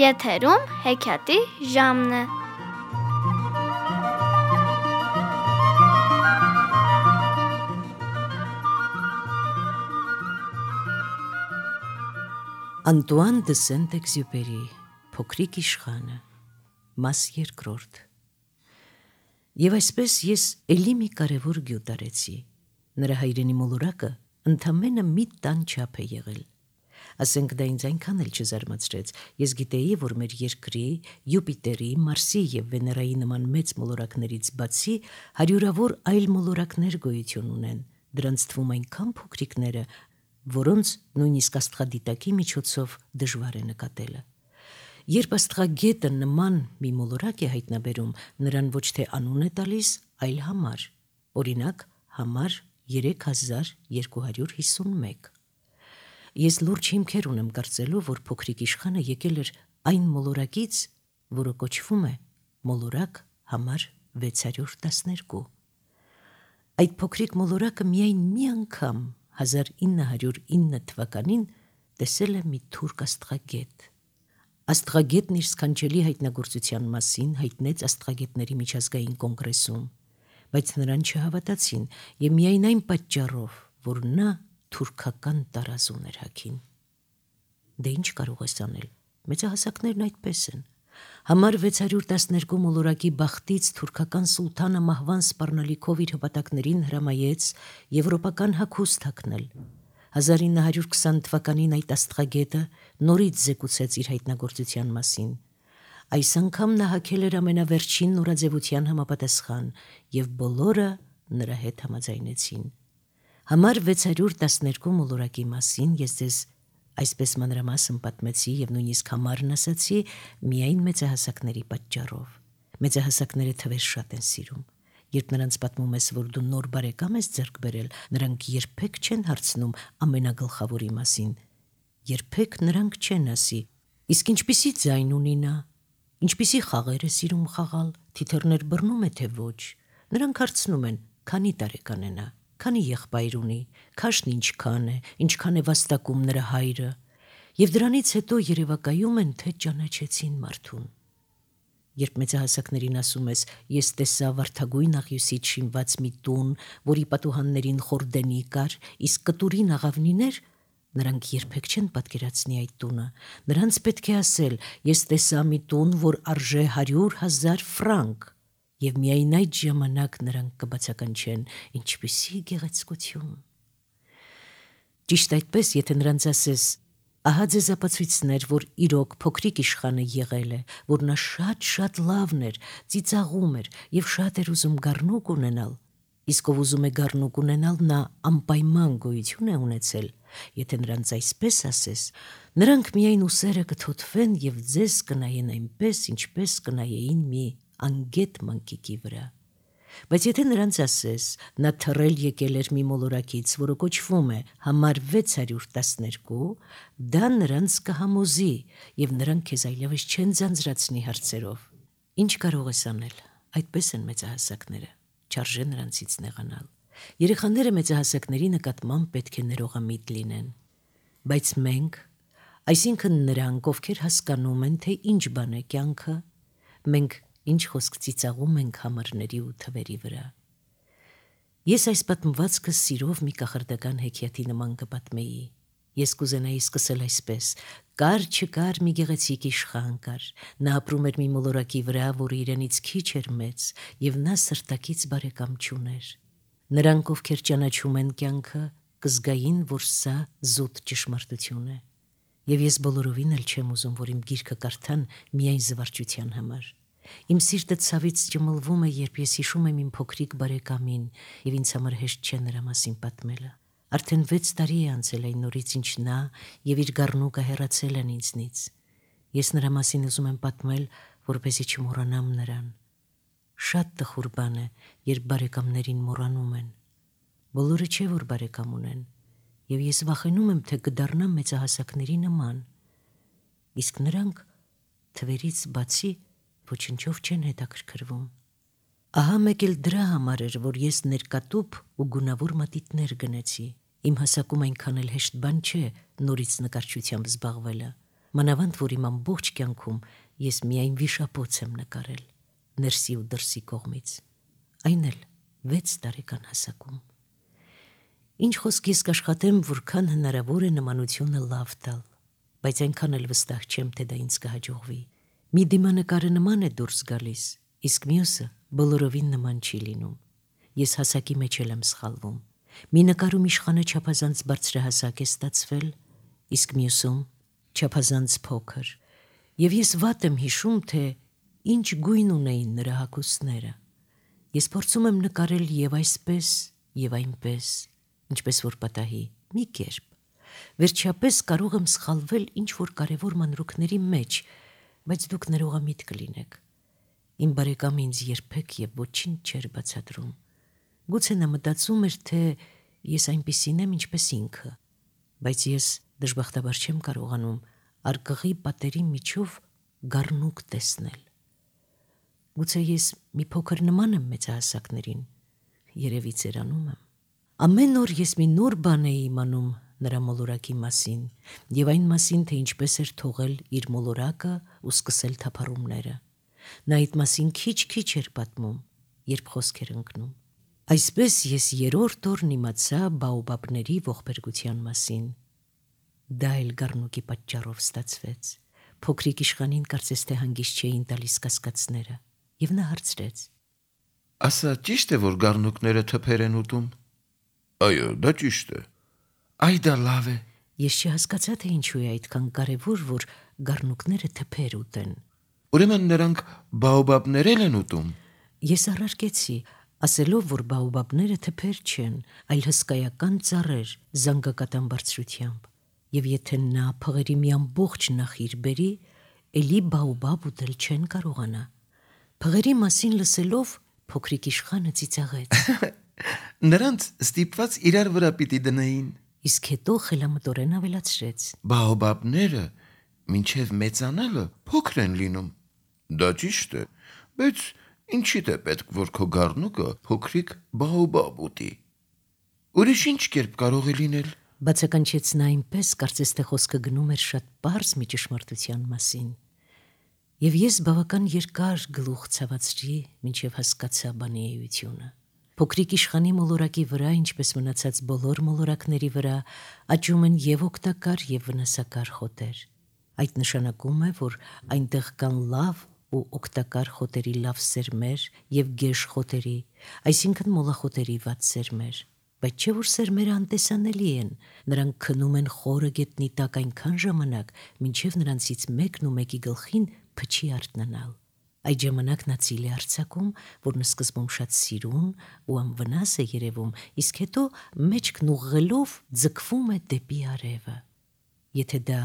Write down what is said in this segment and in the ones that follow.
Եթերում հեքիաթի ժամն է։ Անտուան դը Սենտ-Էքզյուպերի Փոքրիկ իշխանը, մաս երկրորդ։ Եվ այսպես ես էլի մի կարևոր գյուտ արեցի։ Նրա հայրենի մոլորակը ընդամենը մի տան չափ է եղել։ Ասենք դա ինձ այնքան էլ չզարմացրեց։ Ես գիտեի, որ մեր երկրի, Յուպիտերի, Մարսի և Վեներայի նման մեծ մոլորակներից բացի հարյուրավոր այլ մոլորակներ գոյություն ունեն։ Դրանց թվում այնքան փոքրիկները, որոնց նույնիսկ աստղադիտակի միջոցով դժվար է նկատելը։ Երբ աստղագետը նման մի մոլորակ է հայտնաբերում, նրան ոչ թե անուն է տալիս, այլ համար, օրինակ համար 3251։ Ես լուրջ հիմքեր ունեմ կարծելու, որ փոքրիկ իշխանը եկել էր այն մոլորակից, որը կոչվում է մոլորակ համար 612։ Այդ փոքրիկ մոլորակը միայն մի անգամ 1909 թվականին տեսել է մի թուրք աստղագետ։ Աստղագետն իր սքանչելի հայտնագործության մասին հայտնեց աստղագետների միջազգային կոնգրեսում, բայց նրան չհավատացին և միայն այն պատճառով, որ նա թուրքական տարազուն էր հագին։ Դե ինչ կարող ես անել, մեծահասակներն այդպես են։ Համար 612 մոլորակի բախտից թուրքական սուլթանը մահվան սպառնալիքով իր հպատակներին հրամայեց եվրոպական հագուստ հագնել։ 1920 թվականին այդ աստղագետը նորից զեկուցեց իր հայտնագործության մասին։ Այս անգամ նա հագել էր ամենավերջին նորաձևության համապատասխան, և բոլորը նրա հետ համաձայնեցին։ Համար 612 մոլորակի մասին ես ձեզ այսպես մանրամասն պատմեցի և նույնիսկ համարն ասացի միայն մեծահասակների պատճառով։ Մեծահասակները թվեր շատ են սիրում։ Երբ նրանց պատմում ես, որ դու նոր բարեկամ ես ձեռք բերել, նրանք երբեք չեն հարցնում ամենագլխավորի մասին։ Երբեք նրանք չեն ասի. իսկ ինչպիսի ձայն ունի նա, ինչպիսի խաղեր է սիրում խաղալ, թիթեռներ բռնում է թե ոչ։ Նրանք հարցնում են. քանի տարեկան է նա, քանի եղբայր ունի, քաշն ինչքան է, ինչքան է վաստակում նրա հայրը։ Եվ դրանից հետո երևակայում են, թե ճանաչեցին մարդուն։ Երբ մեծահասակներին ասում ես, ես տեսա վարդագույն աղյուսից շինված մի տուն, որի պատուհաններին խորդենի կար, իսկ կտուրին աղավնիներ, նրանք երբեք չեն պատկերացնի այդ տունը։ Նրանց պետք է ասել, ես տեսա մի տուն, որ արժե 100,000 ֆրանկ, և միայն այդ ժամանակ նրանք կբացականչեն, ինչպիսի գեղեցկություն։ Ճիշտ այդպես, եթե նրանց ասես, ահա ձեզ ապացույցներ, որ իրոք փոքրիկ իշխանը եղել է, որ նա շատ լավն էր, ծիծաղում էր և շատ էր ուզում գառնուկ ունենալ, իսկ ով ուզում է գառնուկ ունենալ, նա անպայման գոյություն է ունեցել։ Եթե նրանց այսպես ասես, նրանք միայն ուսերը կթոթվեն և ձեզ կնայեն այնպես, ինչպես կնայեին մի անգետ մանկիկի վրա։ Բայց եթե նրանց ասես, նա թռել եկել էր մի մոլորակից, որը կոչվում է համար 612, դա նրանց կհամոզի, և նրանք քեզ այլևս չեն ձանձրացնի հարցերով։ Ինչ կարող ես անել, այդպես են մեծահասակները, չարժե նրանցից նեղանալ։ Երեխաները մեծահասակների նկատմամբ պետք է ներողամիտ լինեն։ Բայց մենք, այսինքն նրանք, ովքեր հասկանում են, թե ինչ բան է կյանքը, մենք ինչ խոսք ծիծաղում ենք համարների ու թվերի վրա։ Ես այս պատմվածքը սիրով մի կախարդական հեքիաթի նման կպատմեի։ Ես կուզենայի սկսել այսպես. կար չկար մի գեղեցիկ իշխան կար, նա ապրում էր մի մոլորակի վրա, որը իրենից քիչ էր մեծ, և նա սրտակից բարեկամ չուներ։ Նրանք, ովքեր ճանաչում են կյանքը, կզգային, որ սա զուտ ճշմարտություն է։ Եվ ես բոլորովին էլ չեմ ուզում, որ իմ գիրքը կարդան միայն զվարճության համար։ Իմ սիրտը ցավից ճմլվում է, երբ ես հիշում եմ իմ փոքրիկ բարեկամին, և ինձ համար հեշտ չէ նրա մասին պատմելը։ Արդեն 6 տարի է անցել այն օրից, ինչ նա և իր գառնուկը հեռացել են ինձնից։ Ես նրա մասին ուզում եմ պատմել, որպեսզի չմոռանամ նրան։ Շատ տխուր բան է, երբ բարեկամներին մոռանում են։ Բոլորը չէ, որ բարեկամ ունեն, և ես վախենում եմ, թե կդառնամ մեծահասակների նման։ Իսկ նրանք թվերից բացի ոչնչով չեն հետաքրքրվում։ Ահա մեկ էլ դրա համար էր, որ ես ներկատուփ ու գունավոր մատիտներ գնեցի։ Իմ հասակում այնքան էլ հեշտ բան չէ նորից նկարչությամբ զբաղվելը։ մանավանդ որ իմ ամբողջ կյանքում ես միայն վիշապոց եմ նկարել, ներսի ու դրսի կողմից, այն էլ 6 տարեկան հասակում։ Ինչ խոսք ես կաշխատեմ, որքան հնարավոր է նմանությունը լավ տալ, բայց այնքան էլ վստահ չեմ, թե դա ինձ կհաջողվի։ Մի դիմանկարը նման է դուրս գալիս, իսկ մյուսը բոլորովին նման չի լինում։ Ես հասակի մեջ էլ եմ սխալվում։ Մի նկարում իշխանը չափազանց բարձրահասակ է ստացվել, իսկ մյուսում չափազանց փոքր, եւ ես վատ եմ հիշում, թե ինչ գույն ունեին նրա հագուստները։ Ես փորձում եմ նկարել եւ այսպես, եւ այնպես, ինչպես որ պատահի, մի կերպ։ Վերջապես կարող եմ սխալվել ինչ-որ կարևոր մանրուքների մեջ, բայց դուք ներողամիտ կլինեք։ Իմ բարեկամը ինձ երբեք եւ ոչինչ չէր բացատրում։ Գուցե նա մտածում էր, թե ես այնպիսին եմ, ինչպես ինքը, բայց ես դժբախտաբար չեմ կարողանում արկղի պատերի միջով գառնուկ տեսնել։ Գուցե ես մի փոքր նման եմ մեծահասակներին, երևի ծերանում եմ։ Ամեն օր ես մի նոր բան էի իմանում նրա մոլորակի մասին եւ այն մասին, թե ինչպես էր թողել իր մոլորակը ու սկսել թափառումները։ Նա այդ մասին քիչ-քիչ էր պատմում, երբ խոսք էր ընկնում։ Այսպես ես 3-րդ օրն իմացա բաոբաբների ողբերգության մասին։ Դա էլ գառնուկի պատճառով ստացվեց։ Փոքրիկ իշխանին կարծես թե հանգիստ չէին տալիս կասկածները, եւ նա հարցրեց. Ասա, ճիշտ է, որ գառնուկները թփեր են ուտում։ Այո, դա ճիշտ է։ Այ դա լավ է։ Ես չհասկացա, թե ինչու է այդքան կարևոր, որ գառնուկները թփեր ուտեն։ Ուրեմն նրանք բաոբաբներ են ուտում։ Ես առարկեցի, ասելով, որ բաոբաբները թփեր չեն, այլ հսկայական ծառեր զանգակատան բարձրությամբ, եւ եթե նա փղերի մի ամբողջ նախիր բերի, էլի բաոբաբ ուտել չեն կարողանա։ Փղերի մասին լսելով փոքրիկ իշխանը ծիծաղեց։ Նրանց ստիպված իրար վրա պիտի դնեին։ Իսկ հետո խելամտորեն ավելացրեց. Բաոբաբները մինչև մեծանալը փոքր են լինում։ Դա ճիշտ է, բայց ինչի՞դ է պետք, որ քո գառնուկը փոքրիկ բաոբաբ ուտի։ Ուրիշ ինչ կերպ կարող է լինել։ Բացականչեց նա այնպես, կարծես թե խոսքը գնում էր շատ պարզ մի ճշմարտության մասին։ Եվ ես բավական երկար գլուխ ցավացրի, մինչև հասկացա բանի էությունը։ Փոքրիկ իշխանի մոլորակի վրա, ինչպես մնացած բոլոր մոլորակների վրա, աճում են եւ օգտակար եւ վնասակար խոտեր։ Այդ նշանակում է, որ այնտեղ կան լավ ու օգտակար խոտերի լավ սերմեր եւ գեշ խոտերի, այսինքն մոլախոտերի վատ սերմեր։ Բայց չէ որ սերմերը անտեսանելի են, նրանք քնում են խորը գետնի տակ այնքան ժամանակ, մինչև նրանցից մեկն ու մեկի գլխին փչի արթնանալ։ Այդ ժամանակ նա ծիլ է արձակում, որն սկզբում շատ սիրուն ու անվնաս է երևում, իսկ հետո մեջքն ուղղելով ձգվում է դեպի արևը։ Եթե դա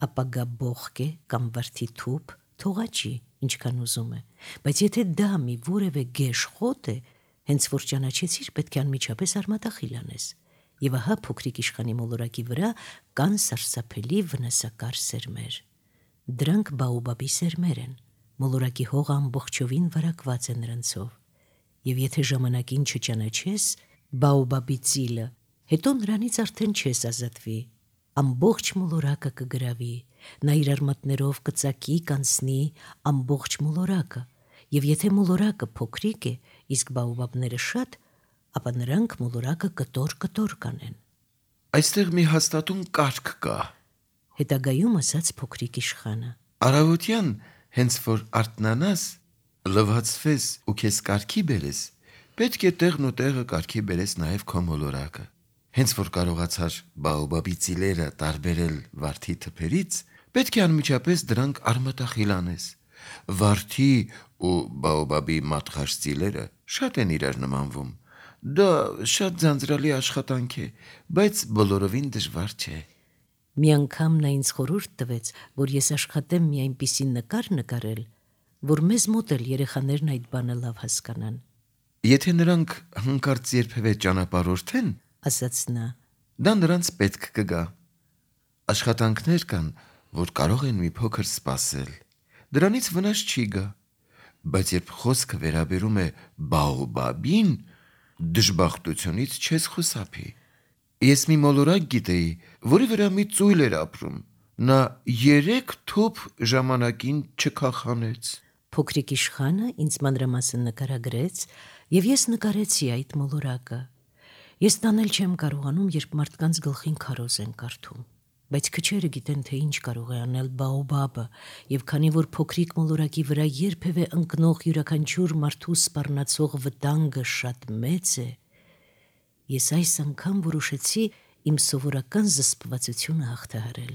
ապագա բողք է կամ վարդի թուփ, թողաճի, ինչքան ուզում է, բայց եթե դա մի որևէ գեշ խոտ է, հենց որ ճանաչեցիր, պետք է անմիջապես արմատախիլ անես։ Եվ ահա փոքրիկ իշխանի մոլորակի վրա կան սարսափելի վնասակար սերմեր։ Դրանք բաոբաբի սերմեր են, մոլորակի հողը ամբողջովին վարակված է նրանցով։ Եվ եթե ժամանակին չճանաչես բաոբաբի ծիլը, հետո նրանից արդեն չես ազատվի։ Ամբողջ մոլորակը կգրավի, նա իր արմատներով կծակի, կանցնի ամբողջ մոլորակը, եւ եթե մոլորակը փոքրիկ է, իսկ բաոբաբները շատ, ապա նրանք մոլորակը կտոր կանեն։ Այստեղ մի հաստատուն կարգ կա։ Հետագայում ասաց փոքրիկ իշխանը. Առավոտյան, հենց որ արթնանաս, լվացվես ու քեզ կարգի բերես, պետք է տեղն ու տեղը կարգի բերես նաև քո մոլորակը։ Հենց որ կարողացար բաոբաբի ծիլերը տարբերել վարդի թփերից, պետք է անմիջապես դրանք արմատախիլ անես։ Վարդի ու բաոբաբի մատղաշ ծիլերը շատ են իրար նմանվում։ Դա շատ ձանձրալի աշխատանք է, բայց բոլորովին դժվար չէ։ Մի անգամ նա ինձ խորհուրդ տվեց, որ ես աշխատեմ մի այնպիսի նկար նկարել, որ մեզ մոտ էլ երեխաներն այդ բանը լավ հասկանան։ Եթե նրանք հանկարծ երբևէ ճանապարհորդեն, ասաց նա, դա նրանց պետք կգա։ Աշխատանքներ կան, որ կարող են մի փոքր սպասել։ Դրանից վնաս չի գա, բայց երբ խոսքը վերաբերում է բաոբաբին, դժբախտությունից չես խուսափի։ Ես մի մոլորակ գիտեի, որի վրա մի ծույլ էր ապրում։ նա 3 թուփ ժամանակին չքախանեց։ Փոքրիկ իշխանը ինձ մանրամասն նկարագրեց, եւ ես նկարեցի այդ մոլորակը։ Ես տանել չեմ կարողանում, երբ մարդկանց գլխին քարոզ են կարդում, բայց քչերը գիտեն, թե ինչ կարող է անել բաոբաբը, եւ քանի որ փոքրիկ մոլորակի վրա երբևէ ընկնող յուրաքանչյուր մարդու սպառնացող վտանգը շատ մեծ է, ես այս անգամ որոշեցի իմ սովորական զսպվածությունը հաղթահարել։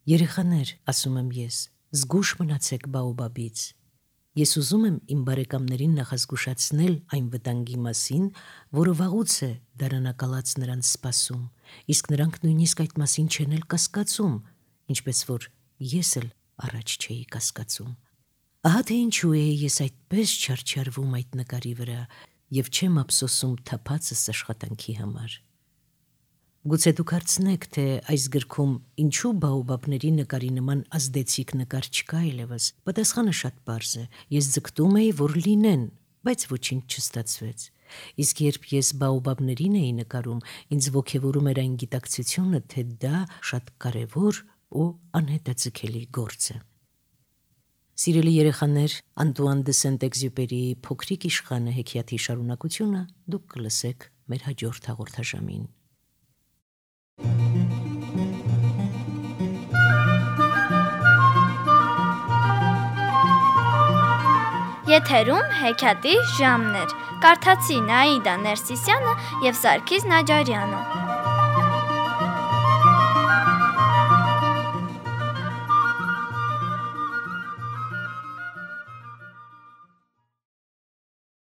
Երեխաներ, ասում եմ ես, զգուշ մնացեք բաոբաբից։ Ես ուզում եմ իմ բարեկամներին նախազգուշացնել այն վտանգի մասին, որը վաղուց է դարանակալած նրանց սպասում, իսկ նրանք նույնիսկ այդ մասին չեն էլ կասկածում, ինչպես որ ես էլ առաջ չէի կասկածում։ Ահա թե ինչու է ես այդպես չարչարվում այդ նկարի վրա եւ չեմ ափսոսում թափածս աշխատանքի համար։ Գուցե դուք հարցնեք, թե այս գրքում ինչու բաոբաբների նկարի նման ազդեցիկ նկար չկա այլևս։ Պատասխանը շատ պարզ է։ Ես ձգտում էի, որ լինեն, բայց ոչինչ չստացվեց։ Իսկ երբ ես բաոբաբներին էի նկարում, ինձ ոգևորում էր այն գիտակցությունը, թե դա շատ կարևոր ու անհետաձգելի գործ է։ Սիրելի երեխաներ, Անտուան դե Սենտ-Էքզյուպերիի Փոքրիկ իշխանը հեքիաթի շարունակությունը դուք կլսեք մեր հաջորդ հաղորդաշամին։ Եթերում հեքիաթի ժամն էր։ Կարդացի Նաիդա Ներսիսյանը եւ Սարգիս Նաջարյանը։